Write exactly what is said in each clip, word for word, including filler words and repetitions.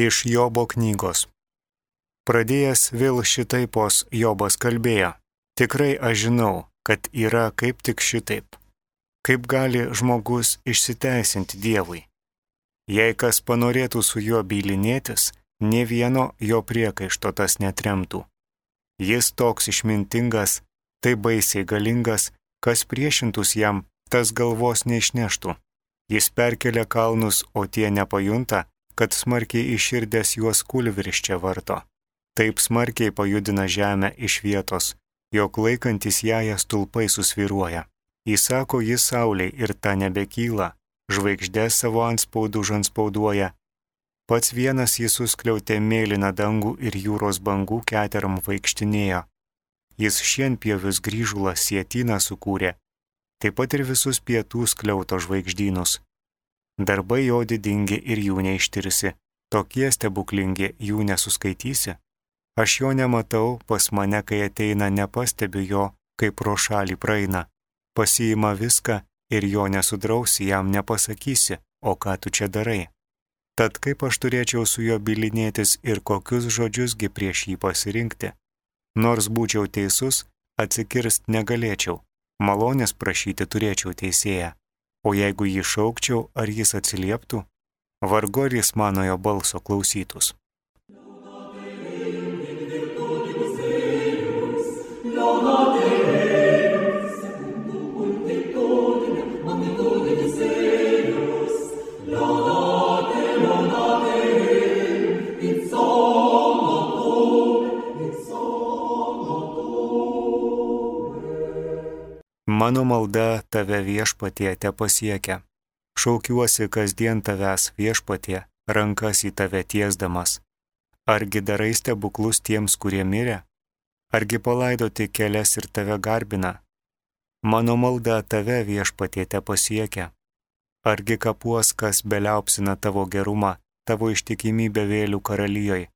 Iš Jobo knygos. Pradėjęs vėl šitaipos Jobas kalbėjo, tikrai aš žinau, kad yra kaip tik šitaip. Kaip gali žmogus išsiteisinti Dievui? Jei kas panorėtų su juo bylinėtis, nė vieno jo priekaišto tas netremtų. Jis toks išmintingas, tai baisiai galingas, kas priešintus jam, tas galvos neišneštų. Jis perkelia kalnus, o tie nepajunta, kad smarkiai iširdęs juos kūlvirsčia varto. Taip smarkiai pajudina žemę iš vietos, jog laikantis ją stulpai susviruoja. Įsako jis saulei ir ta nebekyla, žvaigždės savo antspaudų žanspauduoja. Pats vienas jis suskliautė mėlyną dangų ir jūros bangų keteram vaikštinėjo. Jis šienpievius grįžulą sietyną sukūrė, taip pat ir visus pietų skliauto žvaigždynus. Darbai jo didingi ir jų neištirsi, tokie stebuklingi jų nesuskaitysi. Aš jo nematau, pas mane, kai ateina, nepastebiu jo, kaip pro šalį praeina. Pasiima viską ir jo nesudrausi, jam nepasakysi, o ką tu čia darai. Tad kaip aš turėčiau su juo bylinėtis ir kokius žodžiusgi prieš jį pasirinkti? Nors būčiau teisus, atsikirst negalėčiau, malonės prašyti turėčiau teisėją. O jeigu jį šaukčiau, ar jis atsilieptų, vargu ar jis mano jo balso klausytus. Mano malda tave viešpatie tepasiekia. Šaukiuosi kasdien tavęs viešpatie, rankas į tave tiesdamas. Argi darai stebuklus tiems, kurie mirė? Argi palaidoti kelias ir tave garbina? Mano malda tave viešpatie tepasiekia. Argi kapuos, kas beliaupsina tavo gerumą, tavo ištikimybę vėlių karalijoj?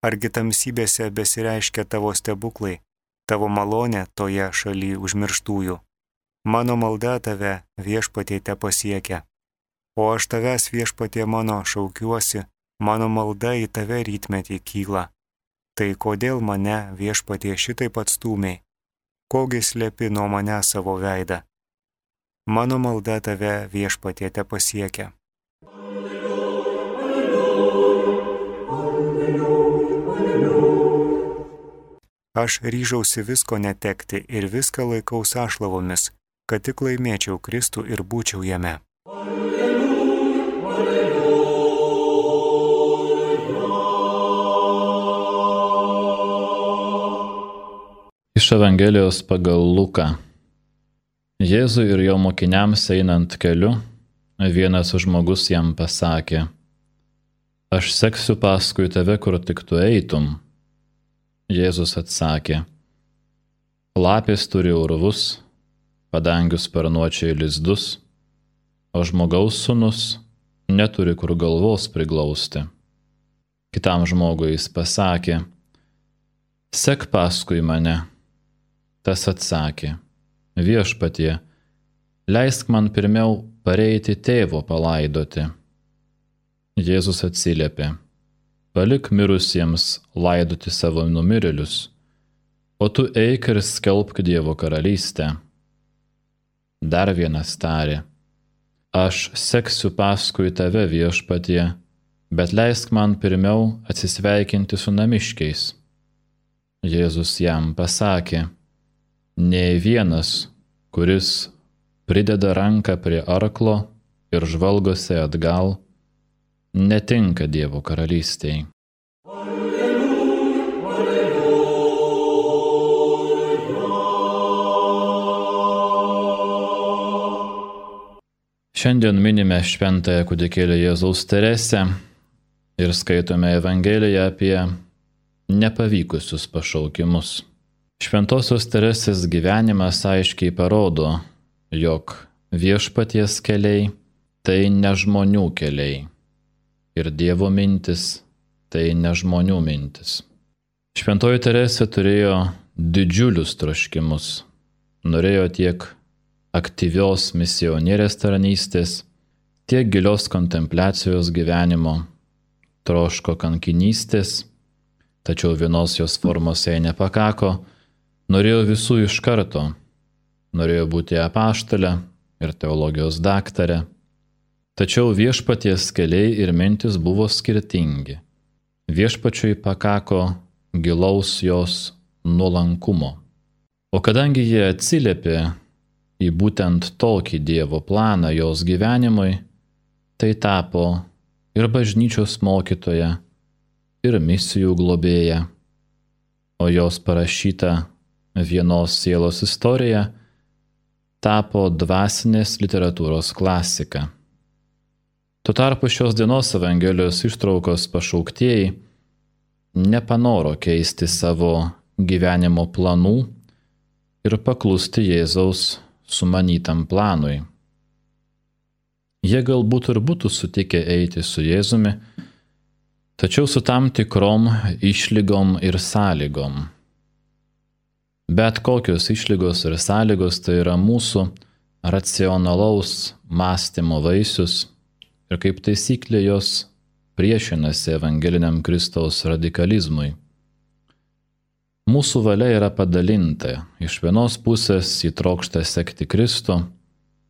Argi tamsybėse besireiškia tavo stebuklai, tavo malonė toje šaly užmirštųjų? Mano malda tave viešpatie tepasiekia. O aš tavęs viešpatie mano šaukiuosi, mano malda į tave rytmetį kyla. Tai kodėl mane viešpatie šitaip atstūmiai? Kogi slepi nuo mane savo veidą? Mano malda tave viešpatie tepasiekia. Aš ryžausi visko netekti ir viską laikau sąšlavomis, kad tik laimėčiau Kristų ir būčiau jame. Iš Evangelijos pagal Luką. Jėzui ir jo mokiniams einant keliu, vienas žmogus jam pasakė, aš seksiu paskui tave, kur tik tu eitum. Jėzus atsakė, lapės turi urvus, padangių sparnuočiai lizdus, o žmogaus sūnus neturi kur galvos priglausti. Kitam žmogui jis pasakė, sek paskui mane. Tas atsakė, viešpatie, leisk man pirmiau pareiti tėvo palaidoti. Jėzus atsiliepė, palik mirusiems laidoti savo numirėlius, o tu eik ir skelbk Dievo karalystę. Dar vienas tarė, aš seksiu paskui tave viešpatie, bet leisk man pirmiau atsisveikinti su namiškiais. Jėzus jam pasakė, nei vienas, kuris prideda ranką prie arklo ir žvalgosi atgal, netinka Dievo karalystei. Šiandien minime šventąją kūdikėlio Jėzaus Teresę ir skaitome Evangeliją apie nepavykusius pašaukimus. Šventosios Teresės gyvenimas aiškiai parodo, jog viešpaties keliai tai ne žmonių keliai ir Dievo mintis tai ne žmonių mintis. Šventoji Teresė turėjo didžiulius troškimus. Norėjo tiek aktyvios misionierės tarnystės, tiek gilios kontempliacijos gyvenimo, troško kankinystės, tačiau vienos jos formos jai nepakako, norėjo visų iš karto, norėjo būti apaštalė ir teologijos daktarė. Tačiau viešpaties keliai ir mintis buvo skirtingi. Viešpačiui pakako gilaus jos nuolankumo. O kadangi jie atsiliepė į būtent tokį Dievo planą jos gyvenimui, tai tapo ir bažnyčios mokytoja, ir misijų globėja, o jos parašyta vienos sielos istorija tapo dvasinės literatūros klasika. Tuo tarpu šios dienos Evangelijos ištraukos pašauktieji nepanoro keisti savo gyvenimo planų ir paklusti Jėzaus sumanytam planui. Jie galbūt ir būtų sutikę eiti su Jėzumi, tačiau su tam tikrom išlygom ir sąlygom. Bet kokios išlygos ir sąlygos tai yra mūsų racionalaus mąstymo vaisius ir kaip taisyklė jos priešinasi evangeliniam Kristaus radikalizmui. Mūsų valia yra padalinta. Iš vienos pusės ji trokšta sekti Kristų,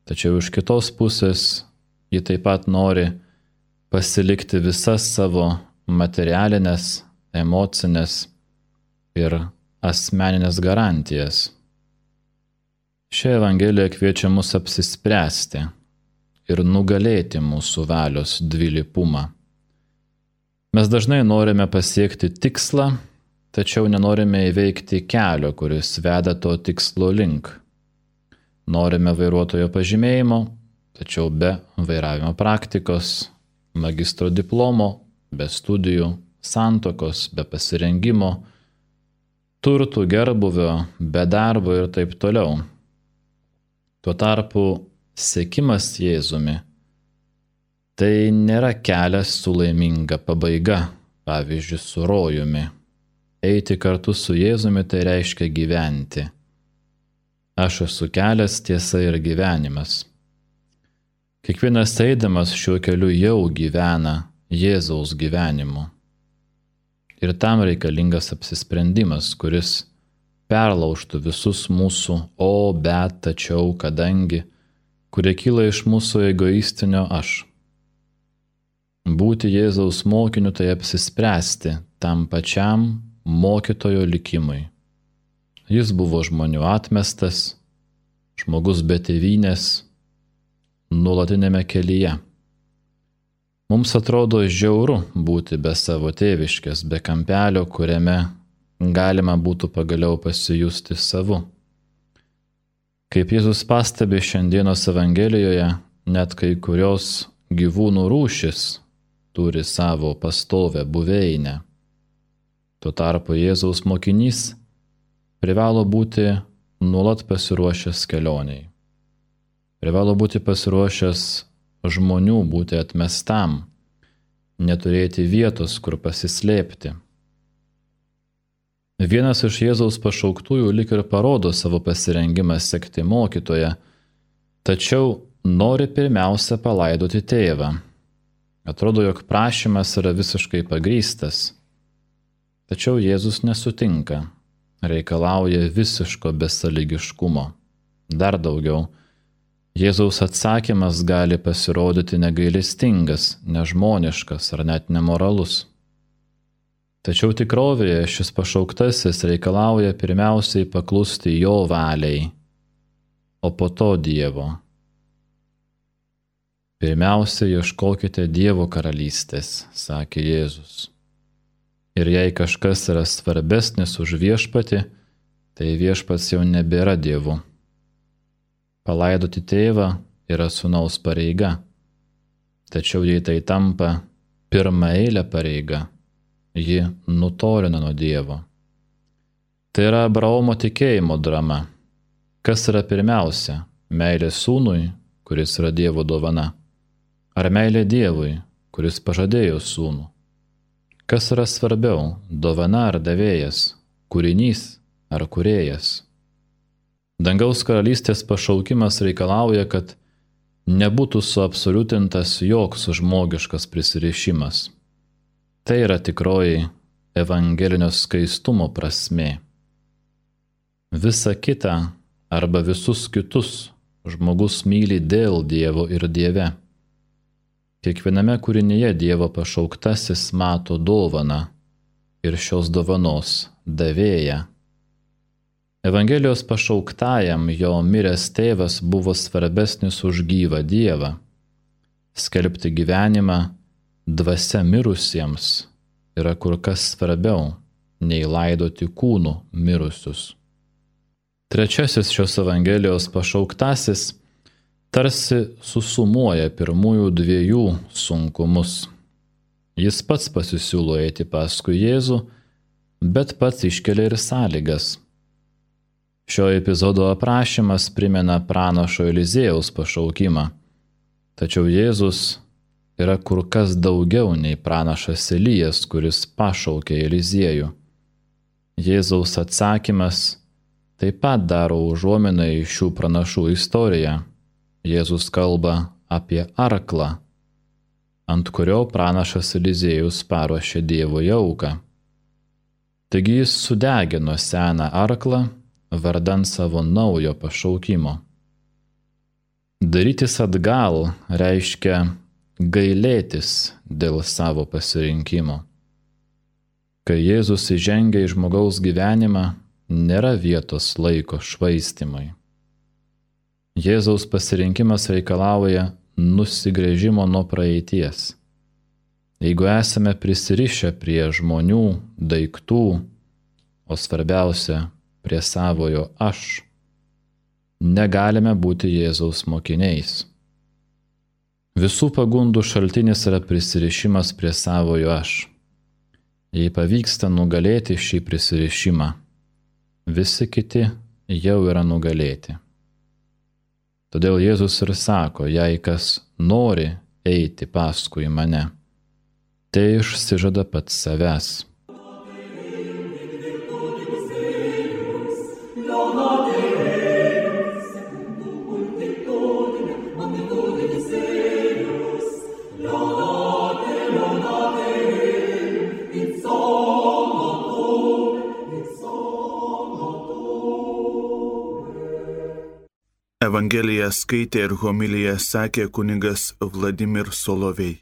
tačiau iš kitos pusės ji taip pat nori pasilikti visas savo materialinės, emocinės ir asmeninės garantijas. Ši Evangelija kviečia mus apsispręsti ir nugalėti mūsų valios dvilypumą. Mes dažnai norime pasiekti tikslą, tačiau nenorime įveikti kelio, kuris veda to tikslo link. Norime vairuotojo pažymėjimo, tačiau be vairavimo praktikos, magistro diplomo, be studijų, santuokos, be pasirengimo, turtų, gerbuvio, be darbo ir taip toliau. Tuo tarpu sekimas Jėzumi tai nėra kelias su laiminga pabaiga, pavyzdžiui, su rojumi. Eiti kartu su Jėzumi tai reiškia gyventi. Aš esu kelias, tiesa ir gyvenimas. Kiekvienas eidamas šiuo keliu jau gyvena Jėzaus gyvenimu. Ir tam reikalingas apsisprendimas, kuris perlaužtų visus mūsų o, bet, tačiau, kadangi, kurie kyla iš mūsų egoistinio aš. Būti Jėzaus mokiniu tai apsispręsti tam pačiam mokytojo likimui. Jis buvo žmonių atmestas, žmogus be tėvynės, nuolatinėme kelyje. Mums atrodo žiauru būti be savo tėviškės, be kampelio, kuriame galima būtų pagaliau pasijusti savu. Kaip Jėzus pastebi šiandienos Evangelijoje, net kai kurios gyvūnų rūšis turi savo pastovę buveinę. Tuo tarpu Jėzaus mokinys privalo būti nuolat pasiruošęs kelioniai. Privalo būti pasiruošęs žmonių būti atmestam, neturėti vietos, kur pasislėpti. Vienas iš Jėzaus pašauktųjų lyg ir parodo savo pasirengimą sekti mokytoją, tačiau nori pirmiausia palaidoti tėvą. Atrodo, jog prašymas yra visiškai pagrįstas. Tačiau Jėzus nesutinka, reikalauja visiško besąlygiškumo. Dar daugiau, Jėzaus atsakymas gali pasirodyti negailestingas, nežmoniškas ar net nemoralus. Tačiau tikrovėje šis pašauktasis reikalauja pirmiausiai paklusti jo valiai, o po to Dievo. Pirmiausia, ieškokite Dievo karalystės, sakė Jėzus. Ir jei kažkas yra svarbesnis už viešpatį, tai viešpats jau nebėra Dievu. Palaidoti tėvą yra sūnaus pareiga, tačiau jei tai tampa pirmaeilė pareiga, ji nutolina nuo Dievo. Tai yra Abraomo tikėjimo drama. Kas yra pirmiausia? Meilė sūnui, kuris yra Dievo dovana? Ar meilė Dievui, kuris pažadėjo sūnų? Kas yra svarbiau, dovana ar davėjas, kūrinys ar kūrėjas? Dangaus karalystės pašaukimas reikalauja, kad nebūtų suabsoliutintas joks žmogiškas prisirišimas. Tai yra tikroji evangelinio skaistumo prasmė. Visa kita arba visus kitus žmogus myli dėl Dievo ir Dieve. Kiekviename kūrinyje Dievo pašauktasis mato dovaną ir šios dovanos davėją. Evangelijos pašauktajam jo miręs tėvas buvo svarbesnis už gyvą Dievą. Skelbti gyvenimą dvasia mirusiems yra kur kas svarbiau nei laidoti kūnų mirusius. Trečiasis šios Evangelijos pašauktasis tarsi susumuoja pirmųjų dviejų sunkumus. Jis pats pasisiūlo eiti paskui Jėzų, bet pats iškelia ir sąlygas. Šio epizodo aprašymas primena pranašo Eliziejaus pašaukimą, tačiau Jėzus yra kur kas daugiau nei pranašas Elijas, kuris pašaukė Eliziejų. Jėzaus atsakymas taip pat daro užuominą į šių pranašų istoriją. Jėzus kalba apie arklą, ant kurio pranašas Eliziejus paruošė Dievui auką. Taigi jis sudegino seną arklą vardan savo naujo pašaukimo. Darytis atgal reiškia gailėtis dėl savo pasirinkimo. Kai Jėzus įžengia į žmogaus gyvenimą, nėra vietos laiko švaistimui. Jėzaus pasirinkimas reikalauja nusigręžimo nuo praeities. Jeigu esame prisirišę prie žmonių, daiktų, o svarbiausia prie savojo aš, negalime būti Jėzaus mokiniais. Visų pagundų šaltinis yra prisirišimas prie savojo aš. Jei pavyksta nugalėti šį prisirišimą, visi kiti jau yra nugalėti. Todėl Jėzus ir sako, jei kas nori eiti paskui mane, tai išsižada pats savęs. Evangeliją skaitė ir homiliją sakė kunigas Vladimir Solovej.